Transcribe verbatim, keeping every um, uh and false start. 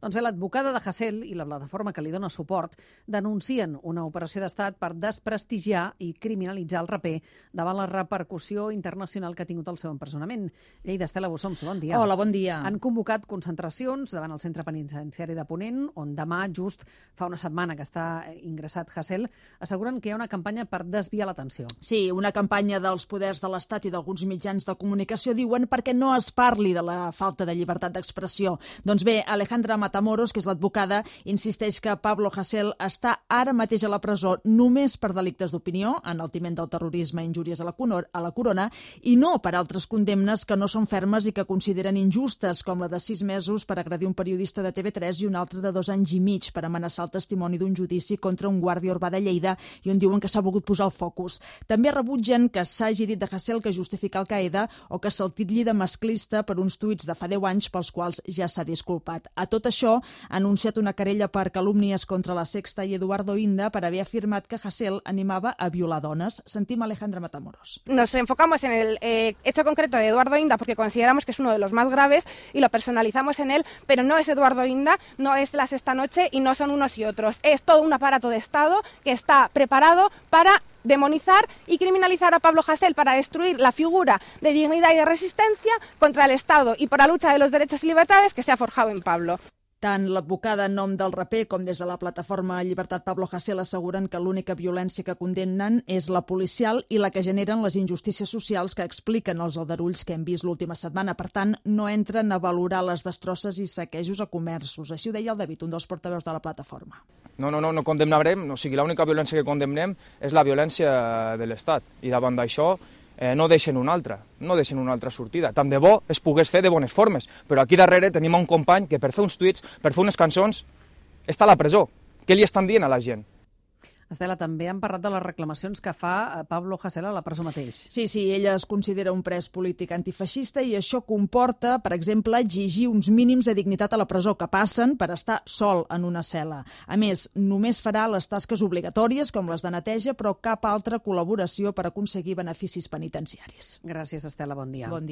Doncs bé, l'advocada de Hasél i la plataforma que li dona suport denuncien una operació d'estat per desprestigiar i criminalitzar el raper davant la repercussió internacional que ha tingut el seu empresonament. Lleida, Estela Bossomso, bon dia. Hola, bon dia. Han convocat concentracions davant el centre penitenciari de Ponent, on demà, just fa una setmana que està ingressat Hasél, asseguren que hi ha una campanya per desviar l'atenció. Sí, una campanya dels poders de l'Estat i d'alguns mitjans de comunicació, diuen, perquè no es parli de la falta de llibertat d'expressió. Doncs bé, Alejandra Matamoros, que és l'advocada, insisteix que Pablo Hasél està ara mateix a la presó només per delictes d'opinió, enaltiment del terrorisme i injúries a la, a la corona, i no per altres condemnes que no són fermes i que consideren injustes, com la de sis mesos per agredir un periodista de T V tres i un altre de dos anys i mig per amenaçar el testimoni d'un judici contra un guàrdia urbà de Lleida i on diuen que s'ha volgut posar el focus. També rebutgen que s'hagi dit de Hasél que justifica Al-Qaeda o que se'l titlli de masclista per uns tuits de fa deu anys pels quals ja s'ha disculpat. A tot això, ha anunciat una querella per calúmnies contra la Sexta i Eduardo Inda per haver afirmat que Hasél animava a violar dones. Sentim a Alejandra Matamoros. Nos enfocamos en el eh, hecho concreto de Eduardo Inda porque consideramos que es uno de los más graves y lo personalizamos en él, pero no es Eduardo Inda, no es la Sexta Noche y no son unos y otros. Es todo un aparato de Estado que está preparado para demonizar y criminalizar a Pablo Hasél, para destruir la figura de dignidad y de resistencia contra el Estado y por la lucha de los derechos y libertades que se ha forjado en Pablo. Tant l'advocada en nom del raper com des de la plataforma Llibertat Pablo Hasél asseguren que l'única violència que condemnen és la policial i la que generen les injustícies socials que expliquen els aldarulls que hem vist l'última setmana. Per tant, no entren a valorar les destrosses i saquejos a comerços. Així ho deia el David, un dels portaveus de la plataforma. No, no, no, no condemnarem, o sigui, l'única violència que condemnem és la violència de l'Estat. I davant d'això eh, no deixen una altra, no deixen una altra sortida. Tant de bo es pogués fer de bones formes, però aquí darrere tenim un company que per fer uns tuits, per fer unes cançons, està a la presó. Què li estan dient a la gent? Estela, també han parlat de les reclamacions que fa Pablo Hasél a la presó mateix. Sí, sí, ella es considera un pres polític antifeixista i això comporta, per exemple, exigir uns mínims de dignitat a la presó que passen per estar sol en una cel·la. A més, només farà les tasques obligatòries, com les de neteja, però cap altra col·laboració per aconseguir beneficis penitenciaris. Gràcies, Estela, bon dia. Bon dia.